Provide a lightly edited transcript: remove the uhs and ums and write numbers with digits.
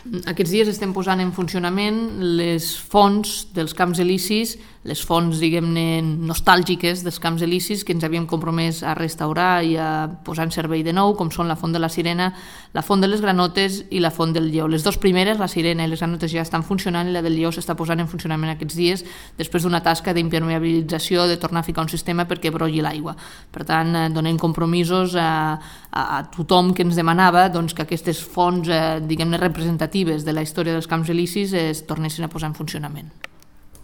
Aquests dies estem posant en funcionament les fonts dels camps elisis, les fonts, diguem-ne, nostàlgiques dels camps elisis que ens havíem compromès a restaurar i a posar en servei de nou, com són la font de la Sirena, la font de les Granotes i la font del Lleó. Les dues primeres, la Sirena i les Granotes, ja estan funcionant i la del Lleó s'està posant en funcionament aquests dies després d'una tasca d'impermeabilització, de tornar a ficar un sistema perquè brolli l'aigua. Per tant, donem compromisos a tothom que ens demanava que aquestes fonts, diguem-ne, representatives de la història dels camps elisis es tornessin a posar en funcionament.